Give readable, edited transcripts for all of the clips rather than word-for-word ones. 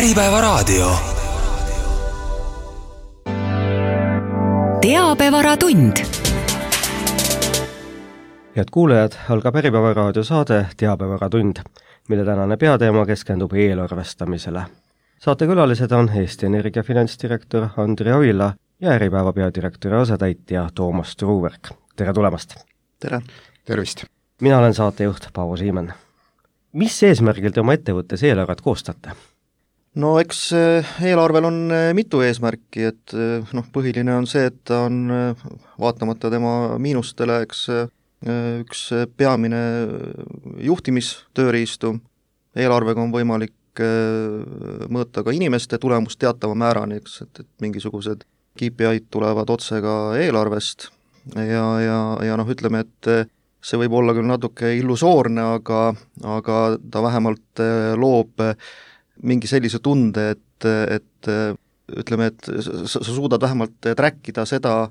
Äripäevaraadio. Teabevaratund. Head kuulajad, algab Äripäevaraadio saade Teabevaratund, mille tänane peateema keskendub eelarvestamisele. Saatekülalised on Eesti Energia finantsdirektor Andri Oila ja Äripäeva peadirektori asetäitja Toomas Truuverk. Tere tulemast! Tere! Tervist! Mina olen saatejuht Paavo Siimann. Mis eesmärgil te oma ettevõttes eelarvet koostate? No eks eelarvel on mitu eesmärki, et põhiline on see, et ta on vaatamata tema miinustele, eks üks peamine juhtimistööriistu. Eelarvega on võimalik mõõta ka inimeste tulemust teatava määrani, eks, et mingisugused KPI-d tulevad otse ka eelarvest ja ütleme, et see võib olla küll natuke illusoorne, aga ta vähemalt loob mingi sellise tunde, et ütleme, et sa suudad vähemalt trackida seda,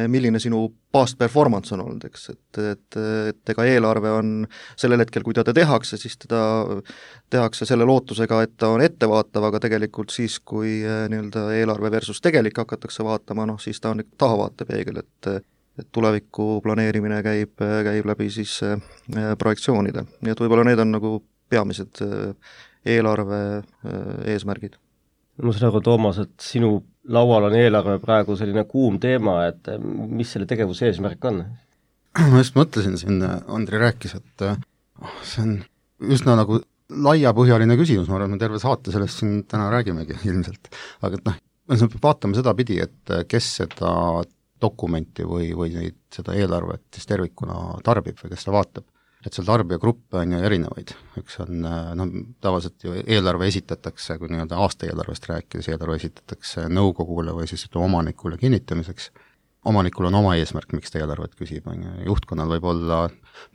milline sinu past performance on olnud, eks, et ega eelarve on sellel hetkel, kui teda tehakse, siis teda tehakse selle lootusega, et ta on ettevaatav, aga tegelikult siis, kui nii-öelda eelarve versus tegelik hakatakse vaatama, siis ta on tahavaatepeegel, et tuleviku planeerimine käib läbi siis projektsioonide. Nii et võib-olla need on nagu peamised eelarve eesmärgid. Ma saan aru, Toomas, et sinu laual on eelarve praegu selline kuum teema, et mis selle tegevuse eesmärk on? Ma just mõtlesin siin, Andri rääkis, et see on üsna nagu laiapõhjaline küsimus, ma arvan, me terve saate sellest siin täna räägimegi ilmselt. Aga me vaatame seda pidi, et kes seda dokumenti või seda eelarvet siis tervikuna tarbib või kes seda vaatab. Et seal tarbijagruppe on ju erinevaid. Üks on, tavaliselt ju eelarve esitatakse, kui nii-öelda aasta eelarvest rääkides, eelarve esitatakse nõukogule või siis omanikule kinnitamiseks. Omanikul on oma eesmärk, miks ta eelarvet küsib. Juhtkonnal võib olla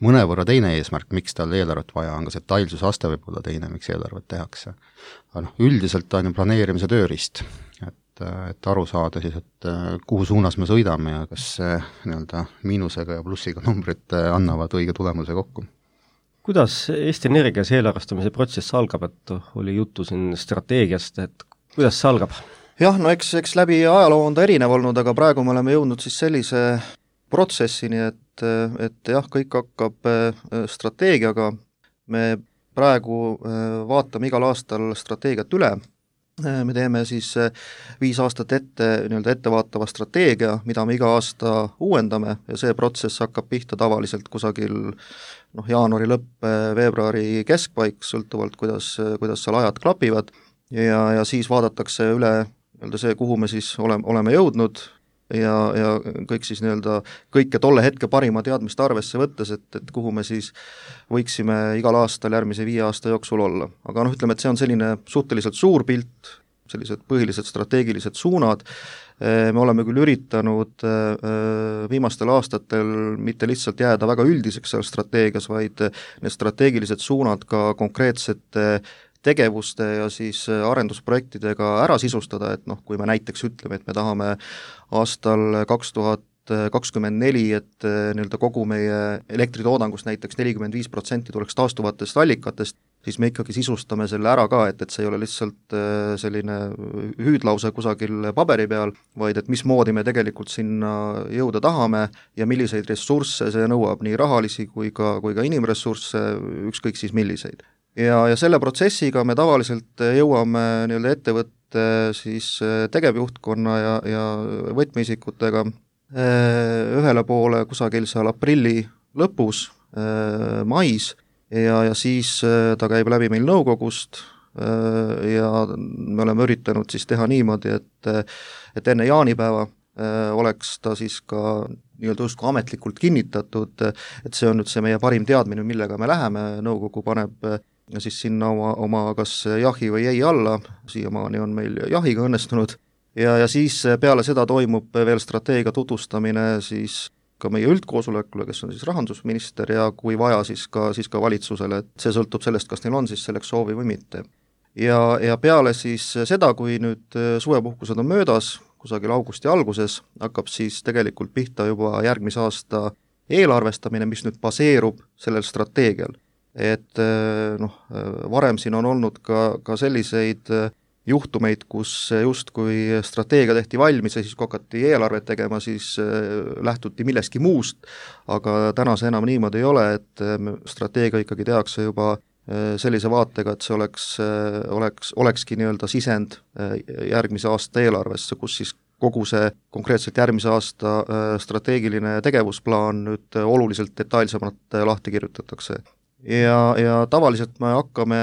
mõnevõrra teine eesmärk, miks tal eelarvet vaja on, ka see detailsusaste võib olla teine, miks eelarvet tehakse. Aga üldiselt on ju planeerimise tööriist, et aru saada siis, et kuhu suunas me sõidame ja kas nii-öelda miinusega ja plussiga numbrid annavad õige tulemuse kokku. Kuidas Eesti Energias eelarvestamise protsess algab, et oli juttu siin strateegiast, et kuidas see algab? Jah, eks läbi ajaloo on ta erinev olnud, aga praegu me oleme jõudnud siis sellise protsessini, et jah, kõik hakkab strateegiaga. Me praegu vaatame igal aastal strateegiat üle. Me teeme siis 5 aastat nii-öelda ettevaatava strateegia, mida me iga aasta uuendame ja see protsess hakkab pihta tavaliselt kusagil jaanuari lõpp, veebruari keskpaik, sõltuvalt kuidas seal ajad klapivad ja siis vaadatakse üle nii-öelda see, kuhu me siis oleme jõudnud ja kõik siis nii-öelda kõike tolle hetke parima teadmist arvesse võttes, et kuhu me siis võiksime igal aastal järgmise 5 aasta jooksul olla. Aga ütleme, et see on selline suhteliselt suur pilt, sellised põhilised strateegilised suunad. Me oleme küll üritanud viimastel aastatel mitte lihtsalt jääda väga üldiseks seal strateegias, vaid need strateegilised suunad ka konkreetsete tegevuste ja siis arendusprojektidega ära sisustada, et kui me näiteks ütleme, et me tahame aastal 2024, et nii-öelda kogu meie elektritoodangust näiteks 45% tuleks taastuvatest allikatest, siis me ikkagi sisustame selle ära ka, et see ei ole lihtsalt selline hüüdlause kusagil paberi peal, vaid et mismoodi me tegelikult sinna jõuda tahame ja milliseid ressursse see nõuab, nii rahalisi kui ka inimressursse, ükskõik siis milliseid. Ja selle protsessiga me tavaliselt jõuame nii-öelda ettevõtte siis tegevjuhtkonna ja võtmeisikutega ühele poole kusagil seal aprilli lõpus, mais ja siis ta käib läbi meil nõukogust ja me oleme üritanud siis teha niimoodi, et enne jaanipäeva oleks ta siis ka nii-öelda justkui ametlikult kinnitatud, et see on nüüd see meie parim teadmine, millega me läheme, nõukogu paneb ja siis sinna oma kas jahi või ei alla, siiamaani on meil jahiga õnnestunud, ja siis peale seda toimub veel strateegia tutvustamine siis ka meie üldkoosolekule, kes on siis rahandusminister ja kui vaja, siis ka valitsusele, et see sõltub sellest, kas neil on siis selleks soovi või mitte. Ja peale siis seda, kui nüüd suvepuhkused on möödas, kusagil augusti alguses, hakkab siis tegelikult pihta juba järgmise aasta eelarvestamine, mis nüüd baseerub sellel strateegial. Et varem siin on olnud ka selliseid juhtumeid, kus justkui strateegia tehti valmis ja siis kui hakati eelarvet tegema, siis lähtuti millestki muust, aga täna see enam niimoodi ei ole, et strateegia ikkagi tehakse juba sellise vaatega, et see olekski nii-öelda sisend järgmise aasta eelarvesse, kus siis kogu see konkreetselt järgmise aasta strateegiline tegevusplaan nüüd oluliselt detailsemalt lahti kirjutatakse. Ja tavaliselt me hakkame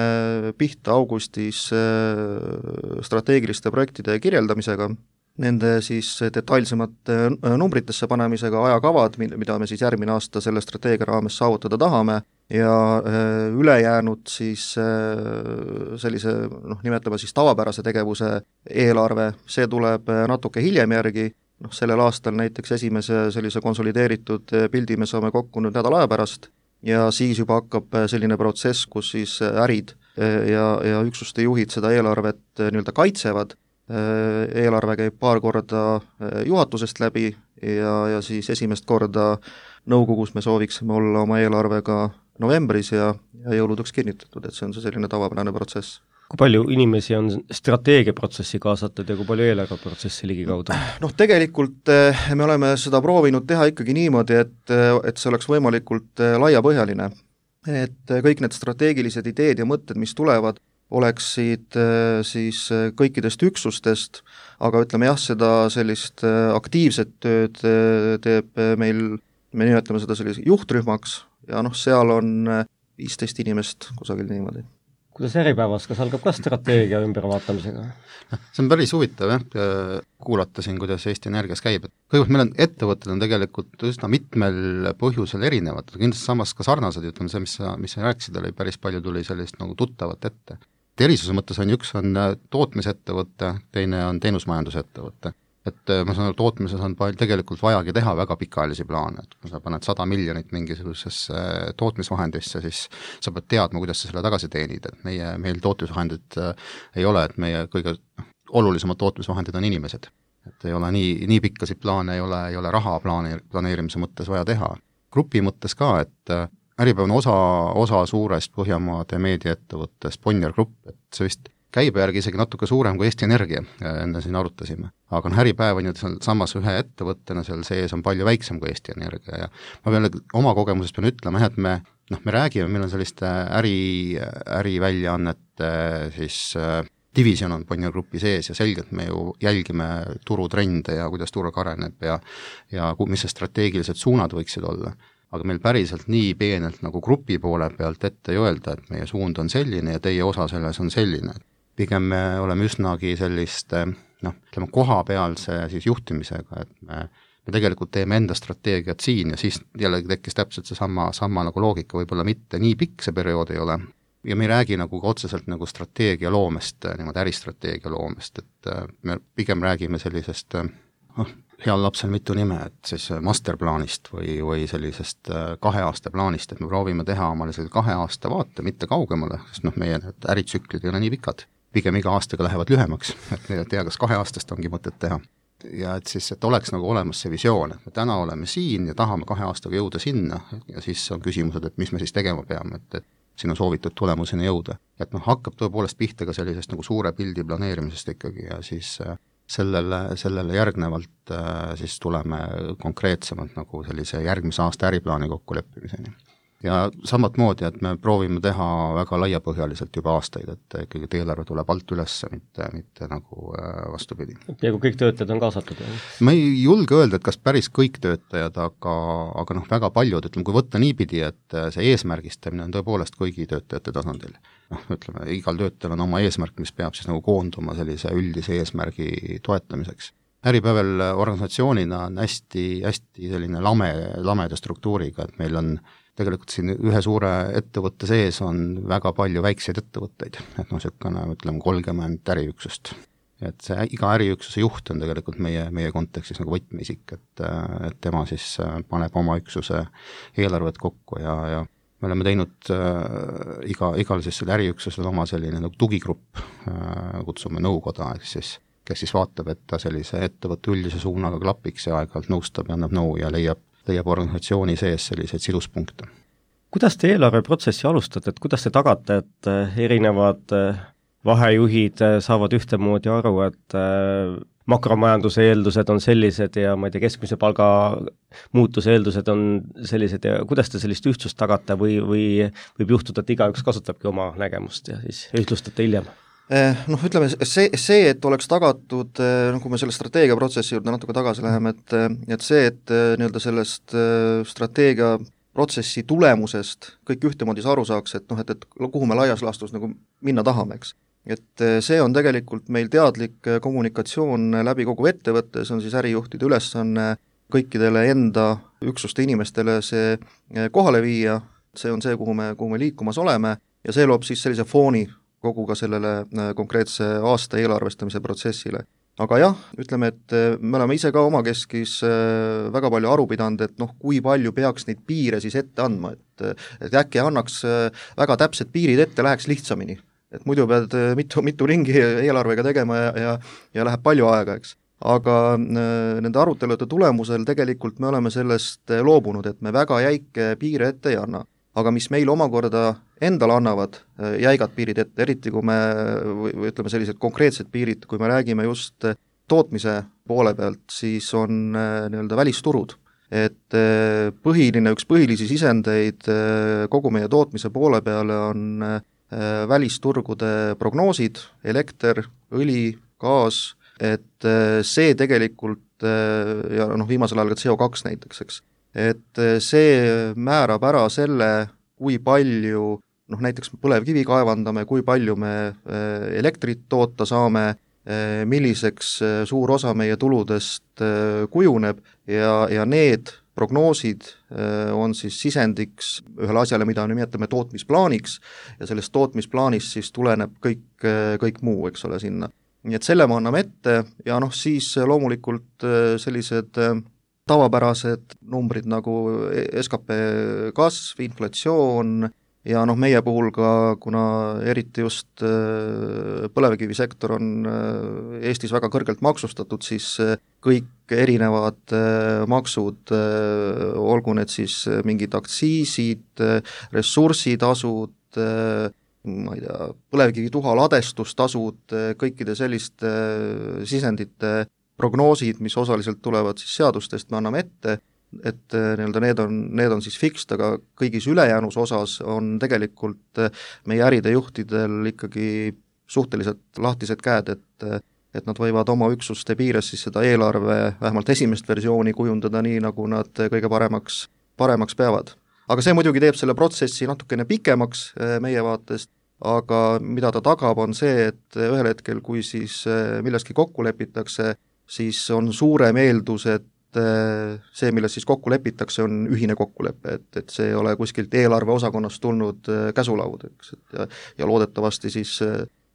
pihta augustis strateegiliste projektide kirjeldamisega, nende siis detailsemate numbritesse panemisega, ajakavad, mida me siis järgmine aasta selle strateegia raames saavutada tahame, ja ülejäänud siis sellise, nimetame siis tavapärase tegevuse eelarve, see tuleb natuke hiljem järgi, sellel aastal näiteks esimese sellise konsolideeritud pildi me saame kokku nüüd nädala aja pärast, ja siis juba hakkab selline protsess, kus siis ärid ja üksuste juhid seda eelarvet nii-öelda kaitsevad, eelarve käib paar korda juhatusest läbi ja siis esimest korda nõukogus me sooviksime olla oma eelarvega novembris ja jõuludeks kinnitatud, et see on see selline tavapärane protsess. Kui palju inimesi on strateegiaprotsessi kaasatud ja kui palju eelarveprotsessi ligikaudu? Tegelikult me oleme seda proovinud teha ikkagi niimoodi, et see oleks võimalikult laiapõhjaline. Et kõik need strateegilised ideed ja mõtted, mis tulevad, oleksid siis kõikidest üksustest, aga ütleme jah, seda sellist aktiivset tööd teeb meil, me nimetame seda sellise juhtrühmaks ja seal on 15 inimest kusagil niimoodi. Kuidas Äripäevas, kas algab ka strateegia ümbervaatamisega? See on päris huvitav kuulata siin, kuidas Eesti Energias käib. Kõigepealt meil on ettevõtted on tegelikult üsna mitmel põhjusel erinevad, kindlasti samas ka sarnased, ütleme see, mis sa rääkisid, oli päris palju tuli sellist nagu tuttavat ette. Erisuse mõttes on üks on tootmisettevõte, teine on teenusmajandusettevõte. Et ma saan aru, tootmises on tegelikult vajagi teha väga pikaajalisi plaane, et kui sa paned 100 miljonit mingisugusesse tootmisvahendisse, siis sa pead teadma, kuidas sa selle tagasi teenid, et meil tootmisvahendid ei ole, et meie kõige olulisemad tootmisvahendid on inimesed. Et ei ole nii pikkasid plaane, ei ole raha planeerimise mõttes vaja teha. Grupi mõttes ka, et Äripäev on osa suurest Põhjamaade meediaettevõttest Bonnier Grupp, et see vist käibe järgi isegi natuke suurem kui Eesti Energia, enne siin arutasime. Aga Äripäev on ju samas ühe ettevõttena, seal sees on palju väiksem kui Eesti Energia ja ma pean oma kogemusest pean ütlema, et me räägime, meil on selliste äriväljaannete siis division on Bonnier Grupi sees ja selgelt me ju jälgime turutrende ja kuidas turg areneb ja mis see strateegilised suunad võiksid olla. Aga meil päriselt nii peenelt nagu grupi poole pealt ette ei öelda, et meie suund on selline ja teie osa selles on selline. Pigem me oleme üsnagi selliste, ütleme kohapealse siis juhtimisega, et me tegelikult teeme enda strateegiat siin ja siis jällegi tekkis täpselt see sama nagu loogika, võib-olla mitte nii pikk see periood ei ole. Ja me ei räägi nagu otseselt nagu strateegia loomest, niimoodi äristrateegia loomest, et me pigem räägime sellisest heal lapsel mitu nime, et siis masterplaanist või sellisest 2 aasta plaanist, et me proovime teha omale selle 2 aasta vaate, mitte kaugemale, sest meie äritsüklid ei ole nii pikad. Pigem iga aastaga lähevad lühemaks, et ei tea, kas 2 aastast ongi mõtet teha. Ja et siis, et oleks nagu olemas see visioon, et me täna oleme siin ja tahame 2 aastaga jõuda sinna ja siis on küsimused, et mis me siis tegema peame, et sinna soovitud tulemuseni jõuda. Et hakkab tõepoolest pihta ka sellisest nagu suure pildi planeerimisest ikkagi ja siis sellele järgnevalt siis tuleme konkreetsemalt nagu sellise järgmise aasta äriplaani kokkuleppimiseni. Ja samat moodi, et me proovime teha väga laiapõhjaliselt juba aastaid, et ikkagi eelarve tuleb alt üles, mitte nagu vastupidi. Ja kui kõik töötajad on kaasatud? Ma ei julge öelda, et kas päris kõik töötajad, aga väga paljud, ütleme, kui võtta niipidi, et see eesmärgistamine on tõepoolest kõigi töötajate tasandil. Ütleme, igal töötajal on oma eesmärk, mis peab siis nagu koonduma sellise üldise eesmärgi toetamiseks. Äripäeval organisatsioonina on hästi selline lameda struktuuriga, et meil on tegelikult siin ühe suure ettevõtte sees on väga palju väikseid ettevõtteid, et niisugune, ütleme, 30 äriüksust. Et see iga äriüksuse juht on tegelikult meie kontekstis nagu võtmeisik, et tema siis paneb oma üksuse eelarvet kokku ja me oleme teinud igal siis selle äriüksusel oma selline nagu tugigrupp, kutsume nõukoda, kes siis vaatab, et ta sellise ettevõtte üldise suunaga klapiks ja aeg-ajalt nõustab ja annab nõu ja leiab organisatsiooni sees selliseid siduspunkte. Kuidas te eelarveprotsessi alustate, et kuidas te tagate, et erinevad vahejuhid saavad ühtemoodi aru, et makromajanduse eeldused on sellised ja ma ei tea, keskmise palga muutuse eeldused on sellised ja kuidas te sellist ühtsust tagate või võib juhtuda, et igaüks kasutabki oma nägemust ja siis ühtlustate hiljem? Noh, ütleme, see, et oleks tagatud, kui me selle strateegiaprotsessi juurde natuke tagasi läheme, et see, et nii-öelda sellest strateegiaprotsessi tulemusest kõik ühtemoodi aru saaks, et noh, et kuhu me laias laastus nagu minna tahame, eks. Et see on tegelikult meil teadlik kommunikatsioon läbi kogu ettevõtte, see on siis ärijuhtide ülesanne kõikidele enda üksuste inimestele see kohale viia, see on see, kuhu me liikumas oleme ja see loob siis sellise fooni kogu ka sellele konkreetse aasta eelarvestamise protsessile. Aga jah, ütleme, et me oleme ise ka omakeskis väga palju aru pidanud, et noh, kui palju peaks neid piire siis ette andma, et äkki annaks väga täpsed piirid ette, läheks lihtsamini. Et muidu pead mitu ringi eelarvega tegema ja läheb palju aega, eks. Aga nende arutelude tulemusel tegelikult me oleme sellest loobunud, et me väga jäike piire ette ei anna. Aga mis meil omakorda endale annavad jäigad piirid ette, eriti kui me, või ütleme sellised konkreetsed piirid, kui me räägime just tootmise poole pealt, siis on nii-öelda välisturud. Et üks põhilisi sisendeid kogu meie tootmise poole peale on välisturgude prognoosid, elekter, õli, gaas, et see tegelikult, ja noh, viimasel ajal ka CO2 näiteks, eks, et see määrab ära selle, kui palju, noh näiteks põlevkivi kaevandame, kui palju me elektrit toota saame, milliseks suur osa meie tuludest kujuneb ja need prognoosid on siis sisendiks ühele asjale, mida nimetame tootmisplaaniks ja sellest tootmisplaanist siis tuleneb kõik muu, eks ole, sinna. Nii et selle me anname ette ja noh, siis loomulikult sellised tavapärased numbrid nagu SKP kasv, inflatsioon ja noh, meie puhul ka, kuna eriti just põlevkivisektor on Eestis väga kõrgelt maksustatud, siis kõik erinevad maksud, olgu need siis mingid aktsiisid, ressursitasud, ma ei tea, põlevkivituha ladestustasud, kõikide selliste sisendite prognoosid, mis osaliselt tulevad siis seadustest, me anname ette, et nii-öelda need on siis fixed, aga kõigis ülejäänus osas on tegelikult meie äride juhtidel ikkagi suhteliselt lahtised käed, et nad võivad oma üksuste piires siis seda eelarve, vähemalt esimest versiooni kujundada nii, nagu nad kõige paremaks peavad. Aga see muidugi teeb selle protsessi natukene pikemaks meie vaatest, aga mida ta tagab, on see, et ühel hetkel, kui siis milleski kokku lepitakse, siis on suurem eeldus, et see, milles siis kokku lepitakse, on ühine kokkulepe, et see ei ole kuskilt eelarve osakonnast tulnud käsulaud, eks, ja loodetavasti siis,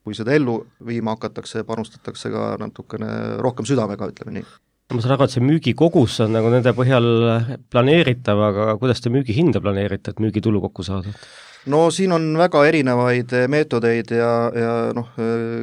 kui seda ellu viima hakatakse, panustatakse ka natukene rohkem südamega, ütleme nii. Ma saan aru, et see müügikogus on nagu nende põhjal planeeritav, aga kuidas te müügihinda planeerite, et müügitulu kokku saada? No siin on väga erinevaid meetodeid ja noh,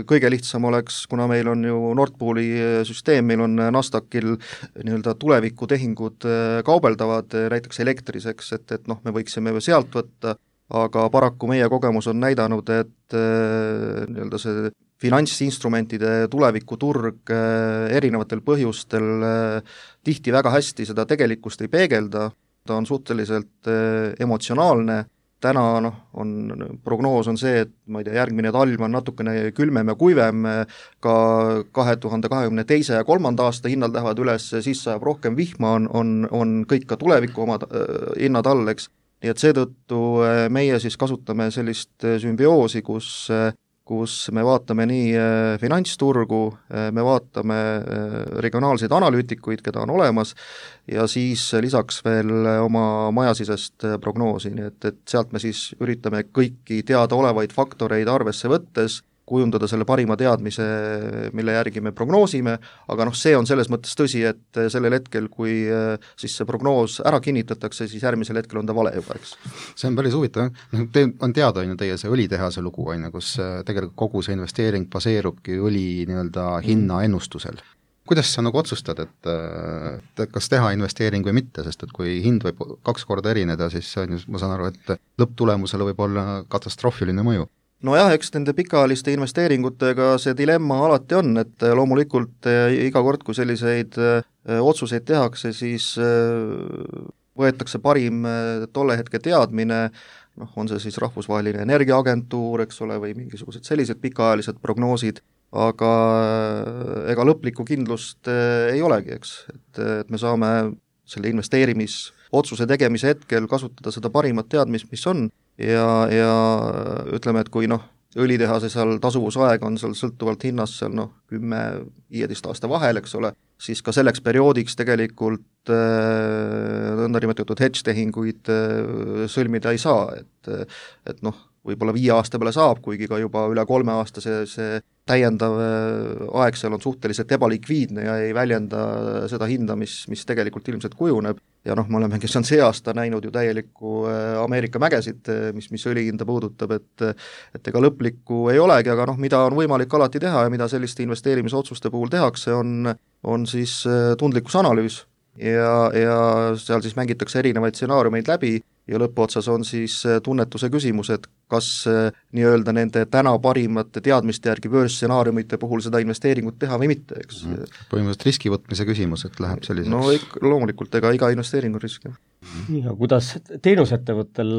kõige lihtsam oleks, kuna meil on ju Nord Pooli süsteem, meil on Nasdaqil nii-öelda tulevikutehingud kaubeldavad näiteks elektriseks, et noh, me võiksime sealt võtta, aga paraku meie kogemus on näidanud, et nii-öelda see finantsinstrumentide tulevikuturg erinevatel põhjustel tihti väga hästi seda tegelikkust ei peegelda, ta on suhteliselt emotsionaalne. Täna prognoos on see, et ma ei tea, järgmine talv on natukene külmem ja kuivem, ka 2022. ja 3. aasta hinnad lähevad üles, siis sajab rohkem vihma, on kõik ka tuleviku oma hinnad all, eks. Nii et seetõttu meie siis kasutame sellist sümbioosi, kus me vaatame nii finantsturgu, me vaatame regionaalseid analüütikuid, keda on olemas, ja siis lisaks veel oma majasisest prognoosi, nii et sealt me siis üritame kõiki teadaolevaid faktoreid arvesse võttes kujundada selle parima teadmise, mille järgi me prognoosime, aga noh, see on selles mõttes tõsi, et sellel hetkel, kui siis see prognoos ära kinnitatakse, siis järgmisel hetkel on ta vale juba, eks. See on päris huvitav, on teada, teie see õlitehase lugu, kus tegelikult kogu see investeering baseerubki õli nii-öelda hinna ennustusel. Kuidas sa nagu otsustad, et kas teha investeering või mitte, sest et kui hind võib 2 korda erineda, siis ma saan aru, et lõpptulemusele võib olla katastroofiline mõju. nojah, eks nende pikaajaliste investeeringutega see dilemma alati on, et loomulikult iga kord, kui selliseid otsuseid tehakse, siis võetakse parim tolle hetke teadmine, noh, on see siis Rahvusvaheline Energiaagentuur, eks ole, või mingisugused sellised pikaajalised prognoosid, aga ega lõplikku kindlust ei olegi, eks, et me saame selle investeerimisotsuse tegemise hetkel kasutada seda parimat teadmist, mis on, ja ütleme, et kui noh, õlitehase seal tasuvusaeg on seal sõltuvalt hinnast seal 10-15 aasta vahel, eks ole, siis ka selleks perioodiks tegelikult nõndanimetatud hedge-tehinguid sõlmida ei saa, et noh, võib-olla 5 aasta peale saab, kuigi ka juba üle 3 aasta see täiendav aeg seal on suhteliselt ebalikviidne ja ei väljenda seda hinda, mis tegelikult ilmselt kujuneb. Ja noh, me olemegi see aasta näinud ju täielikku Ameerika mägesid, mis õlihinda puudutab, et ega lõplikku ei olegi, aga noh, mida on võimalik alati teha ja mida selliste investeerimisotsuste puhul tehakse, on siis tundlikkusanalüüs ja seal siis mängitakse erinevaid stsenaariumeid läbi ja lõpuotsas on siis tunnetuse küsimus, et kas nii-öelda nende täna parimate teadmiste järgi börsstsenaariumite puhul seda investeeringut teha või mitte, eks. Põhimõtteliselt riskivõtmise küsimus, et läheb selliseks. No loomulikult, ega iga investeering on risk. Ja kuidas teenusettevõttel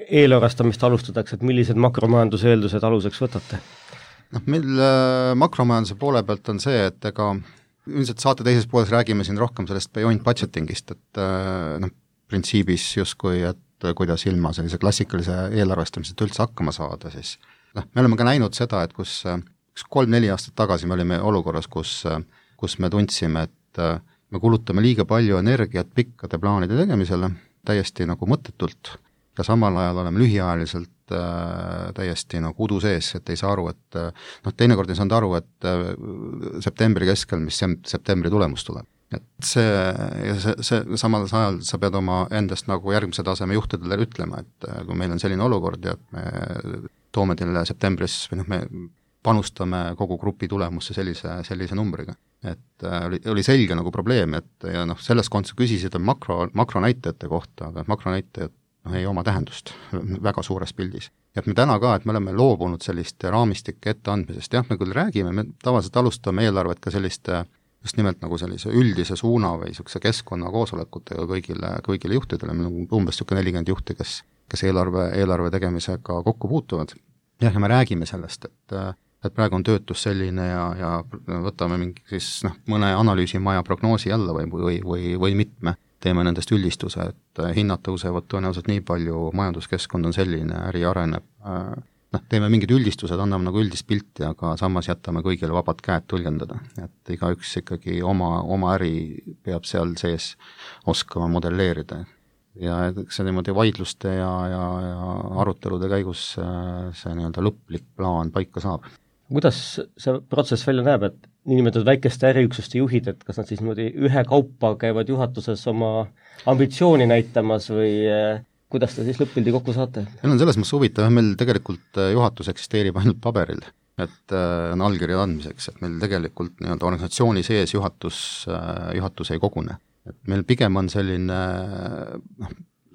eelarvestamist alustatakse, et millised makromajanduse eeldused aluseks võtate? Noh, meil makromajanduse poole pealt on see, et ega ilmselt saate teises pooles räägime siin rohkem sellest beyond budgetingist, et noh, printsiibis justkui, et kuidas ilma sellise klassikalise eelarvestamiseta üldse hakkama saada, siis noh, me oleme ka näinud seda, et kus 3-4 aastat tagasi me olime olukorras, kus me tundsime, et me kulutame liiga palju energiat pikkade plaanide tegemisele, täiesti nagu mõttetult, ja samal ajal oleme lühiajaliselt täiesti nagu udu sees, et ei saa aru, et noh, teinekord ei saanud aru, et septembri keskel, mis septembri tulemus tuleb. Et see samal ajal sa pead oma endast nagu järgmise taseme juhtidele ütlema, et kui meil on selline olukord ja et me toome teile septembris või noh, me panustame kogu grupi tulemusse sellise numbriga. Et oli selge nagu probleem, et ja noh, selles kontekstis küsisid makronäitajate kohta, aga makronäitajad ei oma tähendust väga suures pildis. Ja et me täna ka, et me oleme loobunud selliste raamistike etteandmisest, jah, me küll räägime, me tavaliselt alustame eelarvet ka selliste just nimelt nagu sellise üldise suuna või niisuguse keskkonna koosolekutega kõigile juhtidele, meil on umbes 40 juhti, kes eelarve tegemisega kokku puutuvad. Jah, ja me räägime sellest, et praegu on töötus selline ja võtame mingi siis mõne analüüsimaja prognoosi jälle või mitme, teeme nendest üldistuse, et hinnad tõusevad tõenäoliselt nii palju, majanduskeskkond on selline, äri areneb, teeme mingid üldistused, anname nagu üldist pilti, aga samas jätame kõigile vabad käed tõlgendada, et igaüks ikkagi oma äri peab seal sees oskama modelleerida. Ja see niimoodi vaidluste ja arutelude käigus see nii-öelda lõplik plaan paika saab. Kuidas see protsess välja näeb, et niinimetatud väikeste äriüksuste juhid, et kas nad siis niimoodi ühe kaupa käivad juhatuses oma ambitsiooni näitamas või kuidas te siis lõppildi kokku saate? Meil on selles mõttes huvitav, meil tegelikult juhatus eksisteerib ainult paberil, et on allkirja andmiseks, et meil tegelikult nii-öelda organisatsiooni sees juhatus ei kogune. Et meil pigem on selline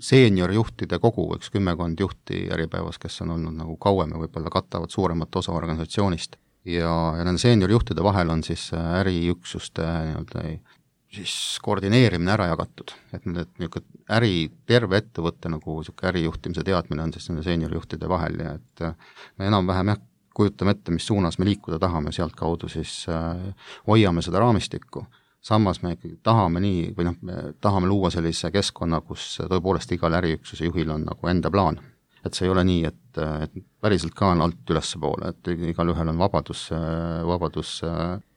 seeniorjuhtide kogu, 10 juhti Äripäevas, kes on olnud nagu kauem ja võib-olla katavad suuremat osa organisatsioonist. Ja nende seeniorjuhtide vahel on siis äriüksuste nii-öelda siis koordineerimine ära jagatud, et terve ettevõtte nagu ärijuhtimise teadmine on siis nende seeniorjuhtide vahel ja et me enam-vähem kujutame ette, mis suunas me liikuda tahame, sealt kaudu siis hoiame seda raamistikku. Samas me ikkagi tahame me tahame luua sellise keskkonna, kus tõepoolest igal äriüksuse juhil on nagu enda plaan. Et see ei ole nii, et päriselt ka on alt ülespoole, et igal ühel on vabadus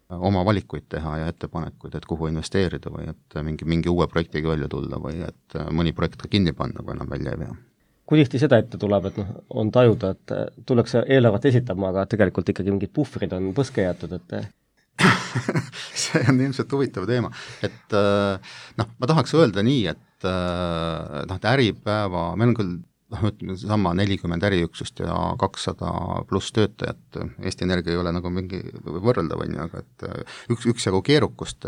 oma valikuid teha ja ettepanekuid, et kuhu investeerida või et mingi uue projektiga välja tulla või et mõni projekt ka kinni panna, kui enam välja ei vea. Kui tihti seda ette tuleb, et on tajuda, et tullakse eelarvet esitama, aga tegelikult ikkagi mingid puhvrid on põske jäetud, et see on ilmselt huvitav teema, et ma tahaks öelda nii, et Äripäeva, meil on küll ütleme sama 40 äriüksust ja 200 pluss töötajat, Eesti Energia ei ole nagu mingi võrreldav, on ju, aga et üksjagu keerukust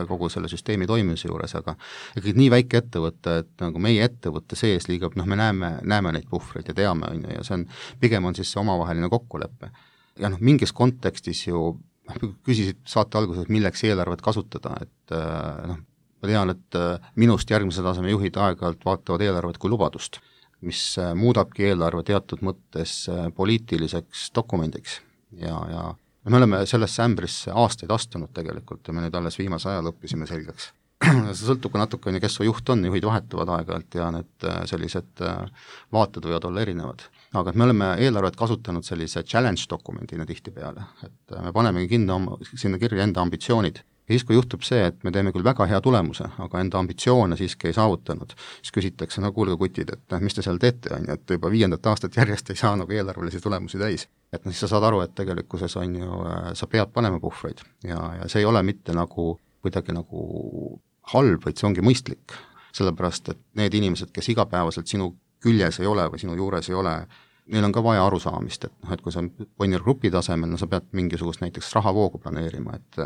kogu selle süsteemi toimimise juures, aga ikkagi nii väike ettevõte, et nagu meie ettevõtte sees liigub, me näeme neid puhvreid ja teame, on ju, ja see on, pigem on siis see omavaheline kokkulepe. Ja mingis kontekstis ju küsisid saate alguses, milleks eelarvet kasutada, et ma tean, et minust järgmise taseme juhid aeg-ajalt vaatavad eelarvet kui lubadust, mis muudabki eelarve teatud mõttes poliitiliseks dokumendiks ja me oleme sellesse ämbrisse aastaid astunud tegelikult ja me nüüd alles viimase ajal õppisime selgeks. See sõltub ka natuke, kes su juht on, juhid vahetuvad aeg-ajalt ja need sellised vaated võivad olla erinevad. Aga et me oleme eelarvet kasutanud sellise challenge dokumendina tihtipeale, et me panemegi sinna kirja enda ambitsioonid. Ja siis, kui juhtub see, et me teeme küll väga hea tulemuse, aga enda ambitsioone siiski ei saavutanud, siis küsitakse, kuulge kutid, et mis te seal teete, on ju, et juba 5. aastat järjest ei saa nagu eelarvelisi tulemusi täis. Et siis sa saad aru, et tegelikkuses on ju, sa pead panema puhvreid ja see ei ole mitte nagu kuidagi nagu halb, vaid see ongi mõistlik. Sellepärast, et need inimesed, kes igapäevaselt sinu küljes ei ole või sinu juures ei ole, neil on ka vaja arusaamist, et kui sa Bonnier Grupi tasemel, sa pead mingisugust näiteks rahavoogu planeerima, et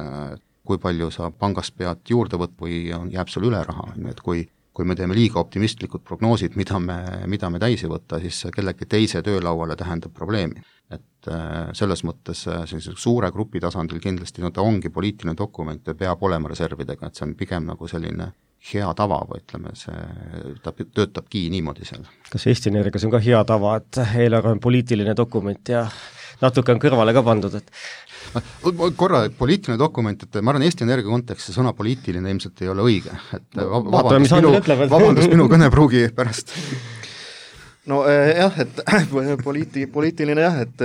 kui palju sa pangast pead juurde võtta või jääb sul üle raha, et kui me teeme liiga optimistlikud prognoosid, mida me täis ei võtta, siis kellegi teise töölauale tähendab probleemi. Et selles mõttes suure grupi tasandil kindlasti ta ongi poliitiline dokument ja peab olema reservidega, et see on pigem nagu selline hea tava või ütleme, ta töötabki niimoodi seal. Kas Eesti Energias on ka hea tava, et eelarve on poliitiline dokument ja natuke on kõrvale ka pandud, et korra poliitiline dokument, et ma arvan, Eesti Energia kontekstis sõna poliitiline ilmselt ei ole õige, et vabandust minu kõnepruugi pärast. No jah, et poliitiline jah, et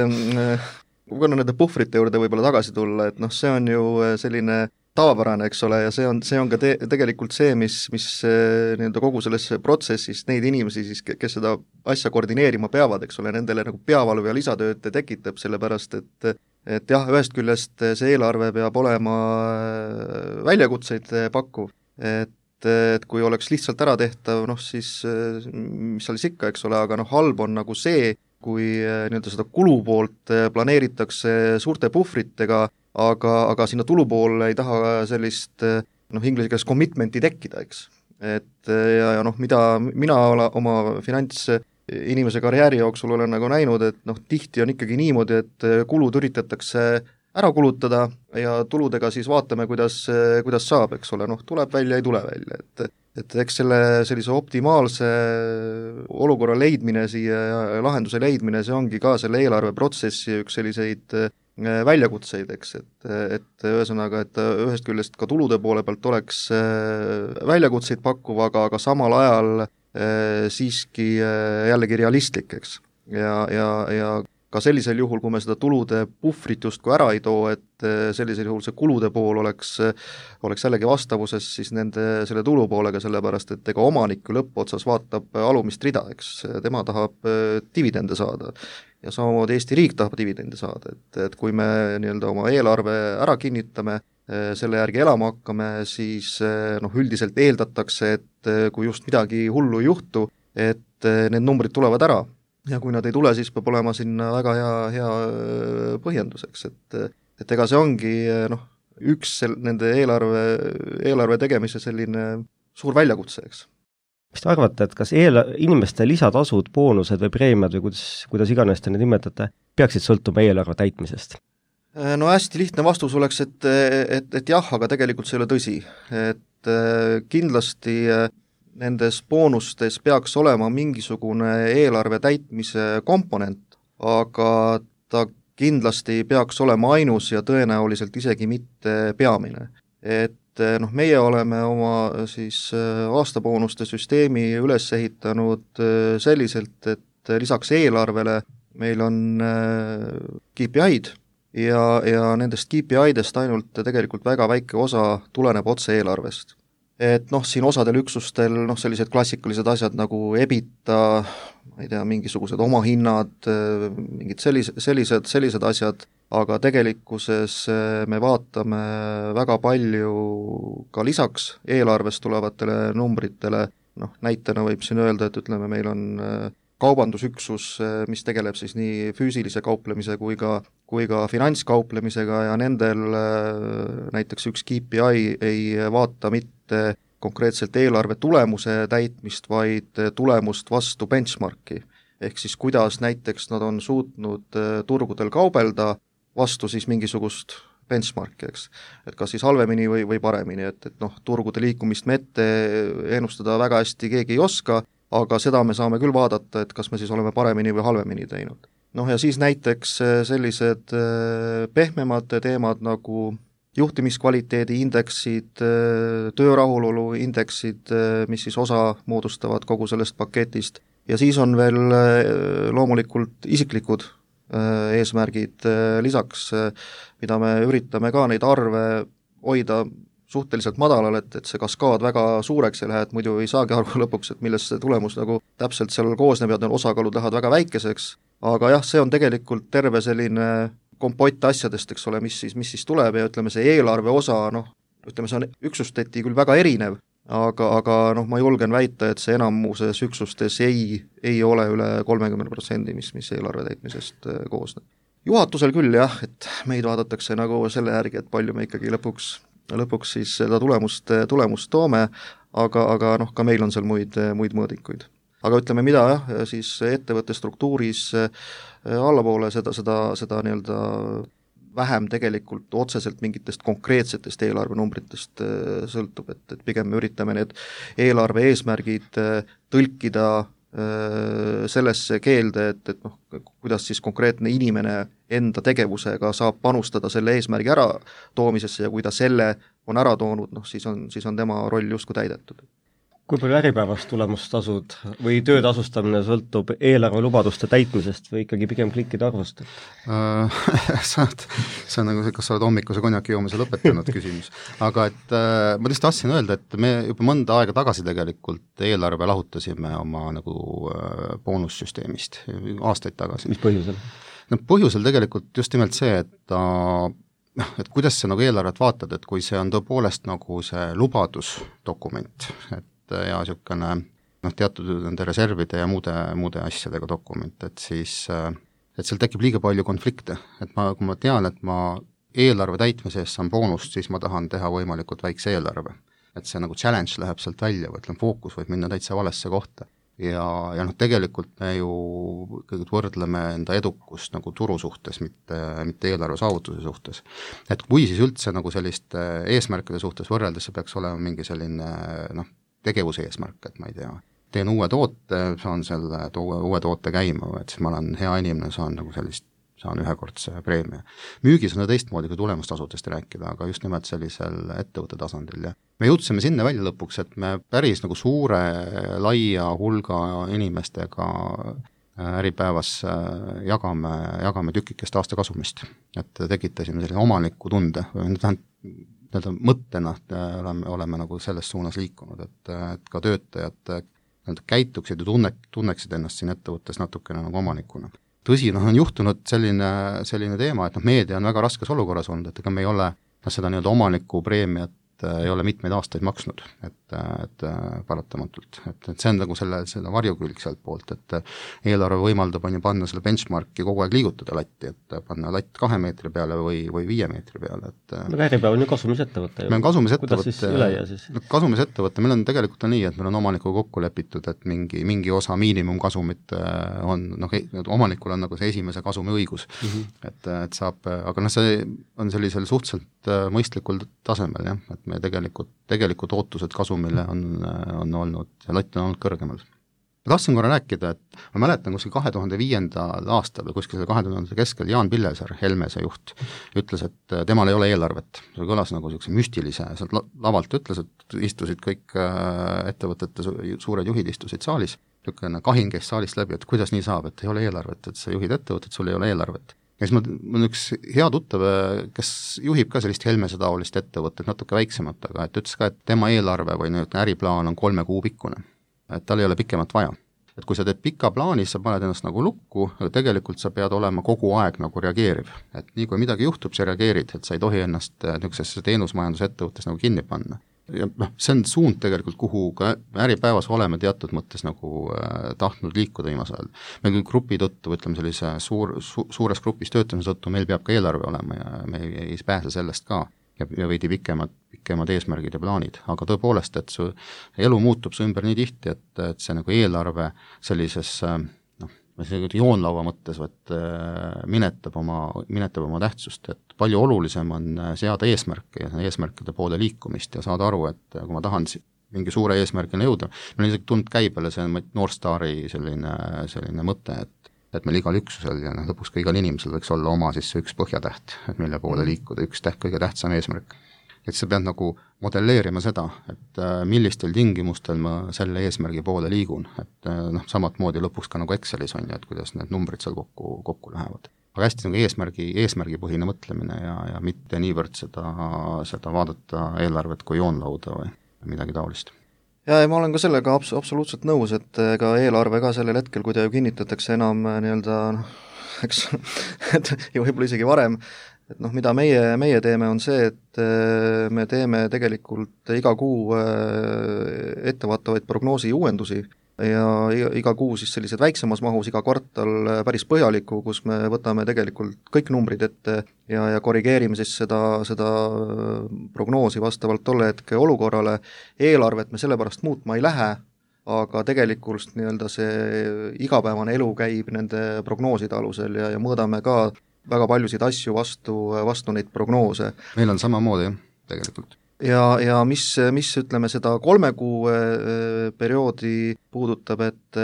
kui nende puhvrite juurde võib-olla tagasi tulla, et see on ju selline tavapärane, eks ole, ja see on ka tegelikult see, mis nii-öelda kogu selles protsessis neid inimesi siis, kes seda asja koordineerima peavad, eks ole, nendele nagu peavalu ja lisatööd tekitab, sellepärast et jah, ühest küljest see eelarve peab olema väljakutseid pakkuv, et kui oleks lihtsalt ära tehtav, siis mis seal siis ikka, eks ole, aga halb on nagu see, kui nii-öelda seda kulupoolt planeeritakse suurte puhvritega, aga sinna tulupoole ei taha sellist inglise keeles commitmenti tekkida, eks. Et ja mida mina oma finantsinimese karjääri jooksul olen nagu näinud, et tihti on ikkagi niimoodi, et kulud üritatakse ära kulutada ja tuludega siis vaatame, kuidas saab, eks ole, tuleb välja, ei tule välja, et eks sellise optimaalse olukorra leidmine siia ja lahenduse leidmine, see ongi ka selle eelarveprotsessi üks selliseid väljakutseid, eks, et ühesõnaga, et ühest küljest ka tulude poole pealt oleks väljakutseid pakkuv, aga samal ajal siiski jällegi realistlik, eks. Ja ka sellisel juhul, kui me seda tulude puhvrit justkui ära ei too, et sellisel juhul see kulude pool oleks jällegi vastavuses siis selle tulu poolega, sellepärast et ega omanik lõppotsas vaatab alumist rida, eks, tema tahab dividende saada. Ja samamoodi Eesti riik tahab dividende saada, et kui me nii-öelda oma eelarve ära kinnitame, selle järgi elama hakkame, siis üldiselt eeldatakse, et kui just midagi hullu ei juhtu, et need numbrid tulevad ära. Ja kui nad ei tule, siis peab olema sinna väga hea põhjenduseks, et ega see ongi üks nende eelarve tegemise selline suur väljakutse, eks. Mis te arvate, et kas inimeste lisatasud, boonused või preemiad või kuidas iganes te neid nimetate, peaksid sõltuma eelarve täitmisest? No hästi lihtne vastus oleks, et jah, aga tegelikult see ei ole tõsi. Et kindlasti nendes boonustes peaks olema mingisugune eelarve täitmise komponent, aga ta kindlasti peaks olema ainus ja tõenäoliselt isegi mitte peamine. Et meie oleme oma siis aastaboonuste süsteemi üles ehitanud selliselt, et lisaks eelarvele meil on KPI-d ja nendest KPI-dest ainult tegelikult väga väike osa tuleneb otse eelarvest. Et siin osadel üksustel sellised klassikalised asjad nagu EBITDA, ma ei tea, mingisugused omahinnad, mingid sellised asjad, aga tegelikkuses me vaatame väga palju ka lisaks eelarvest tulevatele numbritele, näitena võib siin öelda, et ütleme, meil on kaubandusüksus, mis tegeleb siis nii füüsilise kauplemise kui ka finantskauplemisega ja nendel näiteks üks KPI ei vaata mitte konkreetselt eelarve tulemuse täitmist, vaid tulemust vastu benchmarki. Ehk siis kuidas näiteks nad on suutnud turgudel kaubelda vastu siis mingisugust benchmarki, eks. Et kas siis halvemini või paremini, et turgude liikumist me ette ennustada väga hästi keegi ei oska, aga seda me saame küll vaadata, et kas me siis oleme paremini või halvemini teinud. Ja siis näiteks sellised pehmemad teemad nagu juhtimiskvaliteedi indeksid, töörahulolu indeksid, mis siis osa moodustavad kogu sellest paketist, ja siis on veel loomulikult isiklikud eesmärgid lisaks, mida me üritame ka neid arve hoida suhteliselt madalal, et see kaskaad väga suureks ei lähe, et muidu ei saagi aru lõpuks, et millest see tulemus nagu täpselt seal koosneb ja osakaalud lähevad väga väikeseks, aga jah, see on tegelikult terve selline kompott asjadest, eks ole, mis siis tuleb ja ütleme, see eelarve osa, ütleme, see on üksusteti küll väga erinev, aga ma julgen väita, et see enamuses üksustes ei ole üle 30%, mis eelarve täitmisest koosneb. Juhatusel küll jah, et meid vaadatakse nagu selle järgi, et palju me ikkagi lõpuks siis seda tulemust toome, aga ka meil on seal muid mõõdikuid. Aga ütleme, mida siis ettevõtte struktuuris allapoole seda nii-öelda vähem tegelikult otseselt mingitest konkreetsetest eelarvenumbritest sõltub, et pigem me üritame need eelarve eesmärgid tõlkida sellesse keelde, et kuidas siis konkreetne inimene enda tegevusega saab panustada selle eesmärgi ära toomisesse ja kui ta selle on ära toonud, siis on tema roll justkui täidetud. Kui palju äripäevast tulemustasud või töötasustamine sõltub eelarve lubaduste täitmisest või ikkagi pigem klikkide arvust? See on nagu see, kas sa oled hommikuse konjaki joomise lõpetanud küsimus. Aga et ma lihtsalt tahtsin öelda, et me juba mõnda aega tagasi tegelikult eelarve lahutasime oma nagu boonussüsteemist aastaid tagasi. Mis põhjusel? Põhjusel tegelikult just nimelt see, et kuidas sa nagu eelarvet vaatad, et kui see on tõepoolest nagu see lubadusdokument, ja niisugune teatud nende reservide ja muude asjadega dokument, et siis et seal tekib liiga palju konflikte, et kui ma tean, et ma eelarve täitmise eest saan boonust, siis ma tahan teha võimalikult väikse eelarve. Et see nagu challenge läheb sealt välja, või fookus võib minna täitsa valesse kohta. Ja tegelikult me ju kõigepealt võrdleme enda edukust nagu turu suhtes, mitte eelarve saavutuse suhtes. Et kui siis üldse nagu selliste eesmärkide suhtes võrreldes, see peaks olema mingi selline tegevuse eesmärk, et ma ei tea, teen uue toote, saan selle uue toote käima, et siis ma olen hea inimene, saan ühekordse preemia. Müügis on teistmoodi kui tulemustasudest rääkida, aga just nimelt sellisel ettevõtte tasandil. Ja me jõudsime sinna välja lõpuks, et me päris nagu suure, laia hulga inimestega äripäevas jagame tükikest aasta kasumist, et tekitasime selline omaniku tunde, mõttena oleme nagu selles suunas liikunud, et ka töötajad käituksid ja tunneksid ennast siin ettevõttes natukene nagu omanikuna. Tõsi, on juhtunud selline teema, et meedia on väga raskes olukorras olnud, et ega me ei ole seda nii-öelda omaniku preemiat ei ole mitmeid aastaid maksnud, et paratamatult. Et see on nagu selle varjukülg sealt poolt, et eelarve võimaldab panna selle benchmarki kogu aeg liigutada latti, et panna latt 2 meetri peale või 5 meetri peale. Äripäev on ju kasumisettevõte. Meil on kasumisettevõte. Kuidas siis üleja siis? Kasumisettevõte, meil on tegelikult nii, et meil on omanikuga kokku lepitud, et mingi osa miinimumkasumit on, omanikul on nagu see esimese kasumi õigus. Et saab, aga see on sellisel suhteliselt mõistlikul tasemel, jah, et me tegelikult ootused kasumile on olnud, ja latt on olnud kõrgemal. Ma tahtsin korra rääkida, et ma mäletan kuskil 2005. aastal või kuskil 2000. keskel Jaan Pillesaar, Helmese juht, ütles, et temal ei ole eelarvet. See kõlas nagu niisuguse müstilise, sealt lavalt ütles, et istusid kõik ettevõtete suured juhid istusid saalis, niisugune kahin käis saalist läbi, et kuidas nii saab, et ei ole eelarvet, et sa juhid ettevõtet, sul ei ole eelarvet. Ja siis mul üks hea tuttav, kes juhib ka sellist Helmese taolist ettevõtet, natuke väiksemat, aga et ütles ka, et tema eelarve või äriplaan on 3 kuu pikkune, et tal ei ole pikemat vaja. Et kui sa teed pika plaani, sa paned ennast nagu lukku, aga tegelikult sa pead olema kogu aeg nagu reageeriv. Et nii kui midagi juhtub, sa reageerid, et sa ei tohi ennast niisugusesse teenusmajandusettevõttes nagu kinni panna. ja see on suund tegelikult, kuhu ka Äripäevas oleme teatud mõttes nagu tahtnud liikuda viimasel ajal. Meil küll grupi tõttu, ütleme sellise suures grupis töötamise tõttu, meil peab ka eelarve olema ja me ei pääse sellest ka ja veidi pikemad eesmärgid ja plaanid, aga tõepoolest, et su elu muutub su ümber nii tihti, et see nagu eelarve sellises joonlaua mõttes minetab oma tähtsust, et palju olulisem on seada eesmärke ja eesmärkide poole liikumist ja saada aru, et kui ma tahan mingi suure eesmärgina jõuda, meil on isegi tulnud käibele see Northstari selline mõte, et meil igal üksusel ja lõpuks ka igal inimesel võiks olla oma siis üks põhjatäht, et mille poole liikuda, üks kõige tähtsam eesmärk. Et sa pead nagu modelleerima seda, et millistel tingimustel ma selle eesmärgi poole liigun, et samat moodi lõpuks ka nagu Excelis on ju, et kuidas need numbrid seal kokku lähevad. Aga hästi nagu eesmärgipõhine mõtlemine ja mitte niivõrd seda vaadata eelarvet kui joonlauda või midagi taolist. Ja ma olen ka sellega absoluutselt nõus, et ka eelarve ka sellel hetkel, kui ta ju kinnitatakse enam eks, et ja võib-olla isegi varem, et mida meie teeme, on see, et me teeme tegelikult iga kuu ettevaatavaid prognoosi uuendusi ja iga kuu siis sellised väiksemas mahus, iga kvartal päris põhjaliku, kus me võtame tegelikult kõik numbrid ette ja korrigeerime siis seda prognoosi vastavalt tolle hetke olukorrale. Eelarvet me sellepärast muutma ei lähe, aga tegelikult see igapäevane elu käib nende prognooside alusel ja mõõdame ka väga paljusid asju vastu neid prognoose. Meil on samamoodi jah, tegelikult. Ja mis ütleme seda 3 kuu perioodi puudutab, et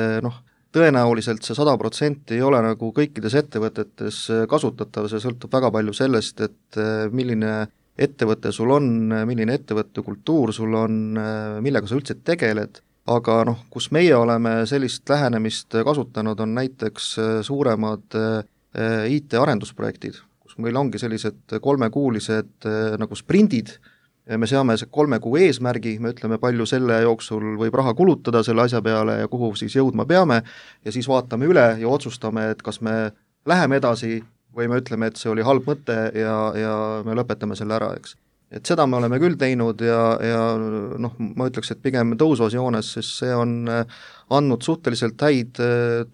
tõenäoliselt see 100% ei ole nagu kõikides ettevõtetes kasutatav, see sõltub väga palju sellest, et milline ettevõte sul on, milline ettevõtte kultuur sul on, millega sa üldse tegeled, aga kus meie oleme sellist lähenemist kasutanud, on näiteks suuremad IT-arendusprojektid, kus meil ongi sellised 3-kuulised nagu sprindid, me seame 3 kuu eesmärgi, me ütleme, palju selle jooksul võib raha kulutada selle asja peale ja kuhu siis jõudma peame ja siis vaatame üle ja otsustame, et kas me läheme edasi või me ütleme, et see oli halb mõte ja me lõpetame selle ära, eks. Et seda me oleme küll teinud ja ma ütleks, et pigem tõusvas joones, sest see on andnud suhteliselt häid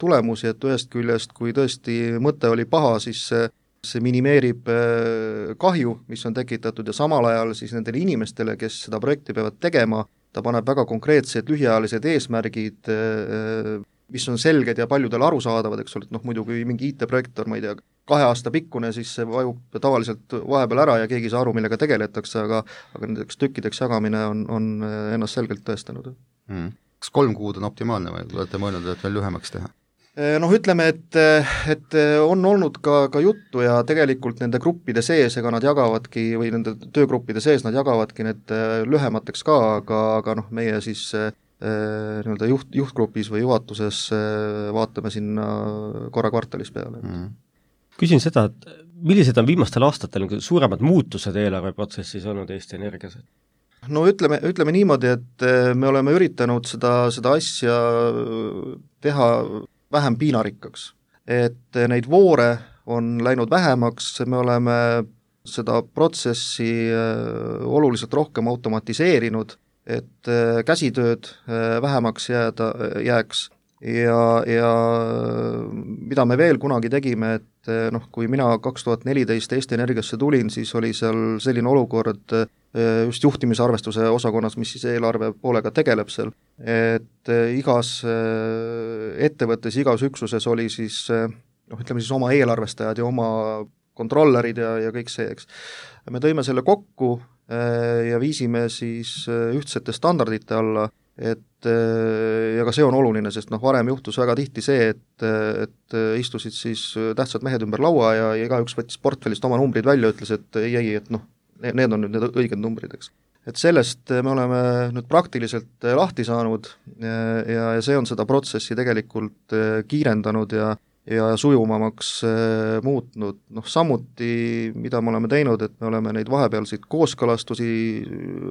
tulemusi, et ühest küljest, kui tõesti mõte oli paha, siis see minimeerib kahju, mis on tekitatud ja samal ajal siis nendele inimestele, kes seda projekti peavad tegema, ta paneb väga konkreetsed lühiajalised eesmärgid, mis on selged ja paljudele arusaadavad, eks ole, et muidugi mingi IT-projekt on, ma ei tea, 2 aasta pikkune, siis see vajub tavaliselt vahepeal ära ja keegi ei saa aru, millega tegeletakse, aga nendeks tükkideks jagamine on ennast selgelt tõestanud. Kas 3 kuud on optimaalne või olete mõelnud, et veel lühemaks teha? Ütleme, et on olnud ka juttu ja tegelikult nende gruppide sees, ega nad jagavadki, või nende töögruppide sees nad jagavadki need lühemateks ka, aga meie siis juhtgrupis või juhatuses vaatame sinna korra kvartalis peale. Küsin seda, et millised on viimastel aastatel suuremad muutused eelarveprotsessis olnud Eesti Energias? Ütleme niimoodi, et me oleme üritanud seda asja teha vähem piinarikkaks. Et neid voore on läinud vähemaks, me oleme seda protsessi oluliselt rohkem automatiseerinud, et käsitööd vähemaks jääks ja mida me veel kunagi tegime, et kui mina 2014 Eesti Energiasse tulin, siis oli seal selline olukord just juhtimisarvestuse osakonnas, mis siis eelarve poolega tegeleb seal, et igas ettevõttes, igas üksuses oli siis ütleme siis oma eelarvestajad ja oma kontrollerid ja kõik see, eks. Me tõime selle kokku ja viisime siis ühtsete standardite alla, et ja ka see on oluline, sest varem juhtus väga tihti see, et istusid siis tähtsad mehed ümber laua ja igaüks võttis portfellist oma numbrid välja, ütles, et ei, et need on nüüd need õiged numbrid, eks. Et sellest me oleme nüüd praktiliselt lahti saanud ja see on seda protsessi tegelikult kiirendanud ja sujuvamaks muutnud. Samuti, mida me oleme teinud, et me oleme neid vahepealseid kooskõlastusi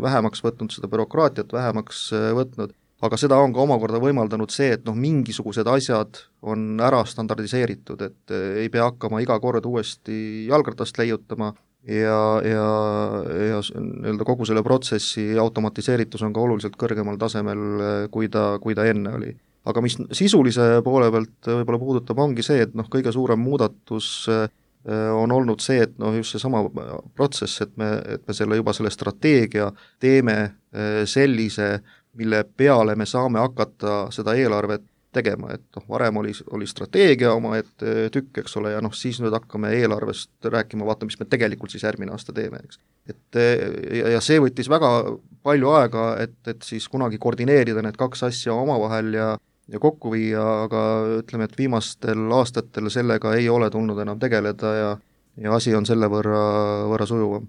vähemaks võtnud, seda bürokraatiat vähemaks võtnud, aga seda on ka omakorda võimaldanud see, et mingisugused asjad on ära standardiseeritud, et ei pea hakkama iga kord uuesti jalgratast leiutama ja nii-öelda kogu selle protsessi automatiseeritus on ka oluliselt kõrgemal tasemel, kui ta enne oli. Aga mis sisulise poole pealt võib-olla puudutab, ongi see, et kõige suurem muudatus on olnud see, et just seesama protsess, et me selle strateegia teeme sellise, mille peale me saame hakata seda eelarvet tegema, et varem oli strateegia omaette tükk, eks ole, ja siis nüüd hakkame eelarvest rääkima, vaata, mis me tegelikult siis järgmine aasta teeme, eks. Ja see võttis väga palju aega, et siis kunagi koordineerida need kaks asja omavahel ja kokku viia, aga ütleme, et viimastel aastatel sellega ei ole tulnud enam tegeleda ja asi on selle võrra sujuvam.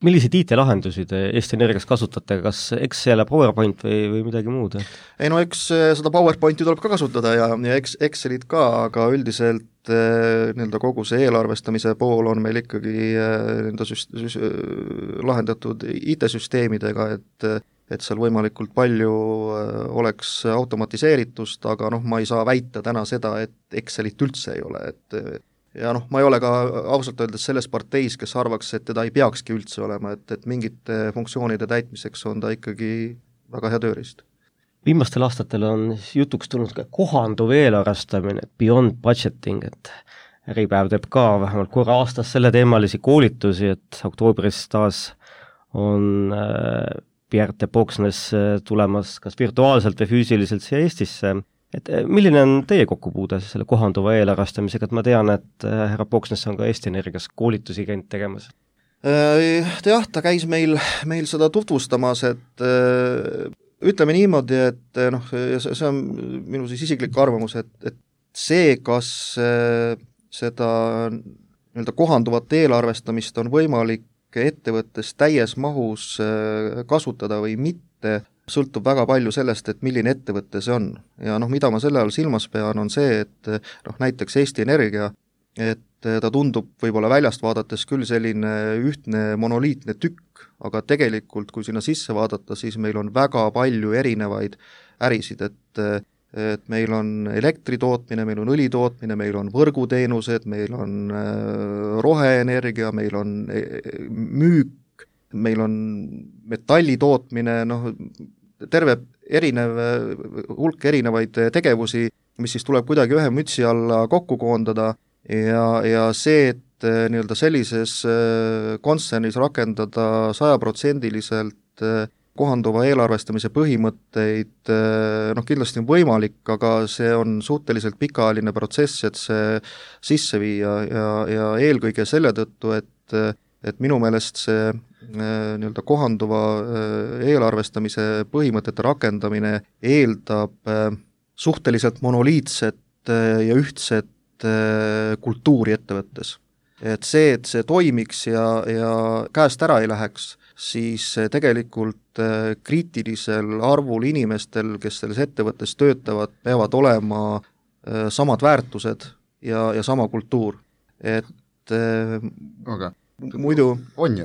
Milliseid IT-lahendusi te Eesti Energias kasutate, kas Excel ja PowerPoint või midagi muud? Ei eks seda PowerPointi tuleb ka kasutada ja Excelit ka, aga üldiselt nii-öelda kogu see eelarvestamise pool on meil ikkagi lahendatud IT-süsteemidega, et seal võimalikult palju oleks automatiseeritust, aga ma ei saa väita täna seda, et Excelit üldse ei ole, ja ma ei ole ka ausalt öeldes selles parteis, kes arvaks, et teda ei peakski üldse olema, et mingite funktsioonide täitmiseks on ta ikkagi väga hea tööriist. Viimastel aastatel on jutuks tulnud ka kohanduv eelarvestamine, beyond budgeting, et Äripäev teeb ka vähemalt korra aastas selle teemalisi koolitusi, et oktoobris taas on Bjarte Boksnes tulemas kas virtuaalselt või füüsiliselt siia Eestisse. Et milline on teie kokkupuude selle kohanduva eelarvestamisega, et ma tean, et härra Boksnes on ka Eesti Energias koolitusi käinud tegemas? Jah, ta käis meil seda tutvustamas, et ütleme niimoodi, et see on minu siis isiklik arvamus, et see, kas seda nii-öelda kohanduvat eelarvestamist on võimalik ettevõttes täies mahus kasutada või mitte, sõltub väga palju sellest, et milline ettevõte see on. Ja mida ma selle all silmas pean, on see, et näiteks Eesti Energia, et ta tundub võib-olla väljast vaadates küll selline ühtne monoliitne tükk, aga tegelikult, kui sinna sisse vaadata, siis meil on väga palju erinevaid ärisid, et meil on elektritootmine, meil on õlitootmine, meil on võrguteenused, meil on roheenergia, meil on müük, meil on metallitootmine, terve hulk erinevaid tegevusi, mis siis tuleb kuidagi ühe mütsi alla kokku koondada ja see, et nii-öelda sellises kontsernis rakendada 100% kohanduva eelarvestamise põhimõtteid, kindlasti on võimalik, aga see on suhteliselt pikaajaline protsess, et see sisse viia ja eelkõige selle tõttu, et minu meelest see nii-öelda kohanduva eelarvestamise põhimõtete rakendamine eeldab suhteliselt monoliitset ja ühtset kultuuri ettevõttes. Et see toimiks ja käest ära ei läheks, siis tegelikult kriitilisel arvul inimestel, kes selles ettevõttes töötavad, peavad olema samad väärtused ja sama kultuur. Et aga muidu on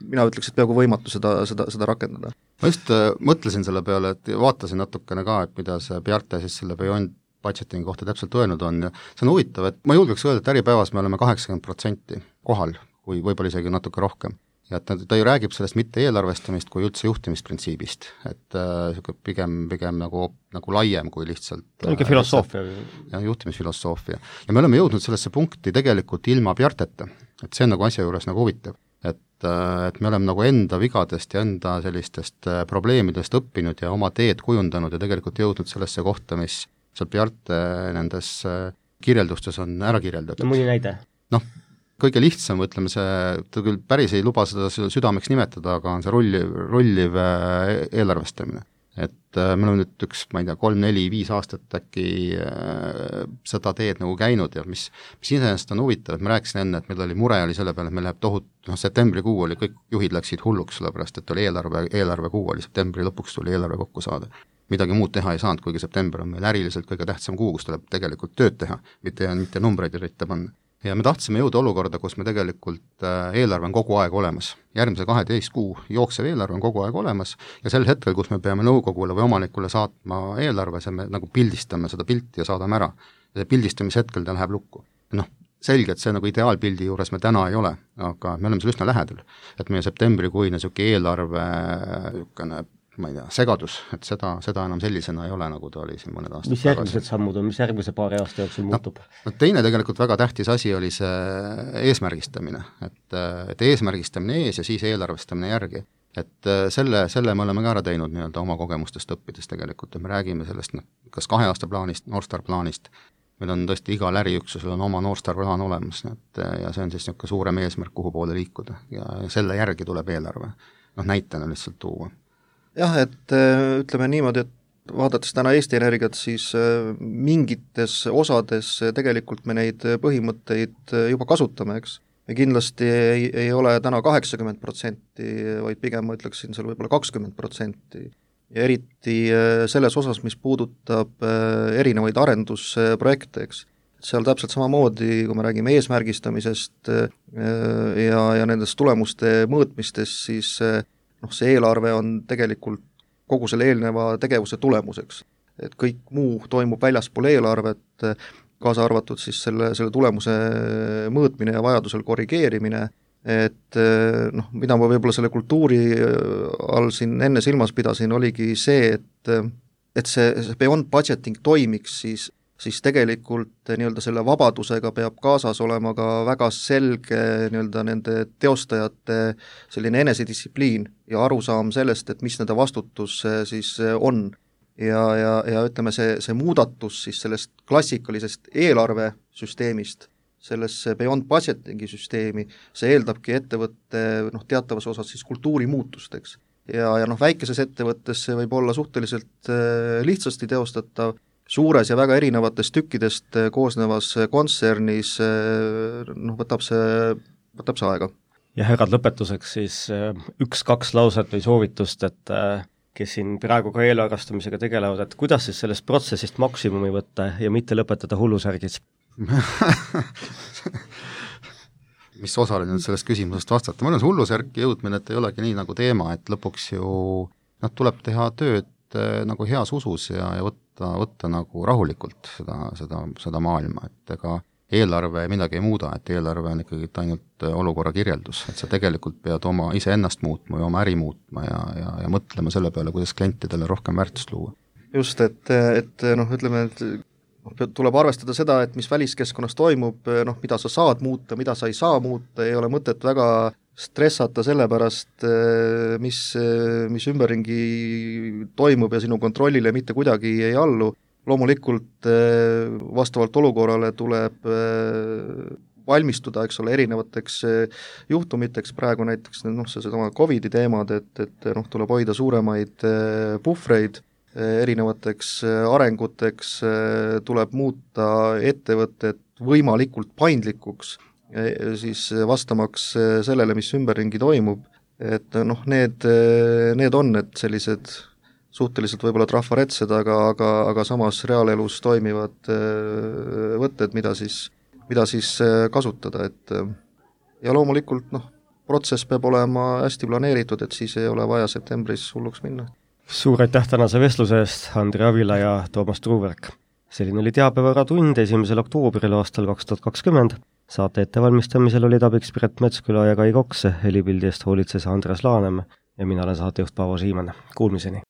mina ütleks, et peaaegu võimatu seda rakendada. Ma just mõtlesin selle peale, et vaatasin natukene ka, et mida see Bjarte siis selle Beyond budgeting kohta täpselt öelnud on ja see on huvitav, et ma julgeks öelda, et Äripäevas me oleme 80% kohal, kui võib-olla isegi natuke rohkem. Ja et ta ju räägib sellest mitte eelarvestamist kui üldse juhtimisprintsiibist, et pigem nagu laiem kui lihtsalt niisugune filosoofia. Ja juhtimisfilosoofia. Ja me oleme jõudnud sellesse punkti tegelikult ilma Bjarteta, et see on nagu asja juures nagu huvitav, et me oleme nagu enda vigadest ja enda sellistest probleemidest õppinud ja oma teed kujundanud ja tegelikult jõudnud sellesse kohta, mis seal Bjarte nendes kirjeldustes on ära kirjeldatud. No mõni näide? Kõige lihtsam, ütleme see, ta küll päris ei luba seda südameks nimetada, aga on see rolliv eelarvestamine. Et me oleme nüüd 3-4-5 aastat äkki seda teed nagu käinud ja mis iseenesest on huvitav, et ma rääkisin enne, et meil oli mure selle peale, et meil läheb septembrikuu oli, kõik juhid läksid hulluks, sellepärast et oli eelarvekuu oli, septembri lõpuks tuli eelarve kokku saada. Midagi muud teha ei saanud, kuigi september on meil äriliselt kõige tähtsam kuu, kus tuleb tegelikult tööd teha, mitte numbreid ritta panna. ja me tahtsime jõuda olukorda, kus me tegelikult eelarve on kogu aeg olemas. Järgmise 12 kuu jooksev eelarve on kogu aeg olemas ja sel hetkel, kus me peame nõukogule või omanikule saatma eelarve, see me nagu pildistame seda pilti ja saadame ära. Ja pildistamishetkel ta läheb lukku. Selge, et see nagu ideaalpildi juures me täna ei ole, aga me oleme seal üsna lähedal. Et meie septembrikuine eelarve ma ei tea, segadus, et seda enam sellisena ei ole, nagu ta oli siin mõned aastad mis järgmised sammud on, mis järgmise paari aasta jooksul muutub? Teine tegelikult väga tähtis asi oli see eesmärgistamine, et eesmärgistamine ees ja siis eelarvestamine järgi. Et selle me oleme ka ära teinud nii-öelda oma kogemustest õppides tegelikult, et me räägime sellest kas 2 aasta plaanist, Northstar plaanist, meil on tõesti igal äriüksusel on oma Northstar plaan olemas, ja see on siis niisugune suurem eesmärk, kuhu poole liikuda ja selle järgi tuleb eelarve, näitena lihtsalt tuua. Jah, et ütleme niimoodi, et vaadates täna Eesti Energiat, siis mingites osades tegelikult me neid põhimõtteid juba kasutame, eks. Me kindlasti ei ole täna 80%, vaid pigem ma ütleksin seal võib-olla 20%. Ja eriti selles osas, mis puudutab erinevaid arendusprojekte, eks. Seal täpselt samamoodi, kui me räägime eesmärgistamisest ja nendest tulemuste mõõtmistest, siis see eelarve on tegelikult kogu selle eelneva tegevuse tulemuseks. Et kõik muu toimub väljaspool eelarvet, kaasa arvatud siis selle tulemuse mõõtmine ja vajadusel korrigeerimine, et mida ma võib-olla selle kultuuri all siin enne silmas pidasin, oligi see, et see beyond budgeting toimiks, siis tegelikult nii-öelda selle vabadusega peab kaasas olema ka väga selge nii-öelda nende teostajate selline enesedistsipliin ja arusaam sellest, et mis nende vastutus siis on. Ja ütleme, see muudatus siis sellest klassikalisest eelarvesüsteemist sellesse beyond budgetingi süsteemi, see eeldabki ettevõtte teatavas osas siis kultuuri muutusteks. Ja väikeses ettevõttes see võib olla suhteliselt lihtsasti teostatav, suures ja väga erinevatest tükkidest koosnevas kontsernis võtab see aega. Ja härrad, lõpetuseks siis 1-2 lauset või soovitust, et kes siin praegu ka eelarvestamisega tegelevad, et kuidas siis sellest protsessist maksimumi võtta ja mitte lõpetada hullusärgis? Mis osale nüüd sellest küsimusest vastata? Ma olen hullusärki jõudmine, et ei olegi nii nagu teema, et lõpuks ju tuleb teha tööd nagu heas usus ja võtta nagu rahulikult seda maailma, et ega eelarve midagi ei muuda, et eelarve on ikkagi ainult olukorra kirjeldus, et sa tegelikult pead oma iseennast muutma ja oma äri muutma ja mõtlema selle peale, kuidas klientidele rohkem väärtust luua. Just, et ütleme, et tuleb arvestada seda, et mis väliskeskkonnas toimub, mida sa saad muuta, mida sa ei saa muuta, ei ole mõtet väga stressata selle pärast, mis ümberringi toimub ja sinu kontrollile mitte kuidagi ei allu. Loomulikult vastavalt olukorrale tuleb valmistuda, eks ole, erinevateks juhtumiteks, praegu näiteks seesama COVID-i teemad, et tuleb hoida suuremaid puhvreid erinevateks arenguteks, tuleb muuta ettevõtted võimalikult paindlikuks, siis vastamaks sellele, mis ümberringi toimub, et need on need sellised suhteliselt võib-olla trafaretsed, aga samas reaalelus toimivad võtted, mida siis kasutada, et ja loomulikult protsess peab olema hästi planeeritud, et siis ei ole vaja septembris hulluks minna. Suur aitäh tänase vestluse eest, Andri Avila ja Toomas Truuverk. Selline oli Teabevõrratund 1. oktoobril aastal 2020. Saate ettevalmistamisel olid abiks Piret Metsküla ja Kai Koks, helipildi eest hoolitses Andres Laanem ja mina olen saatejuht Paavo Siimann. Kuulmiseni!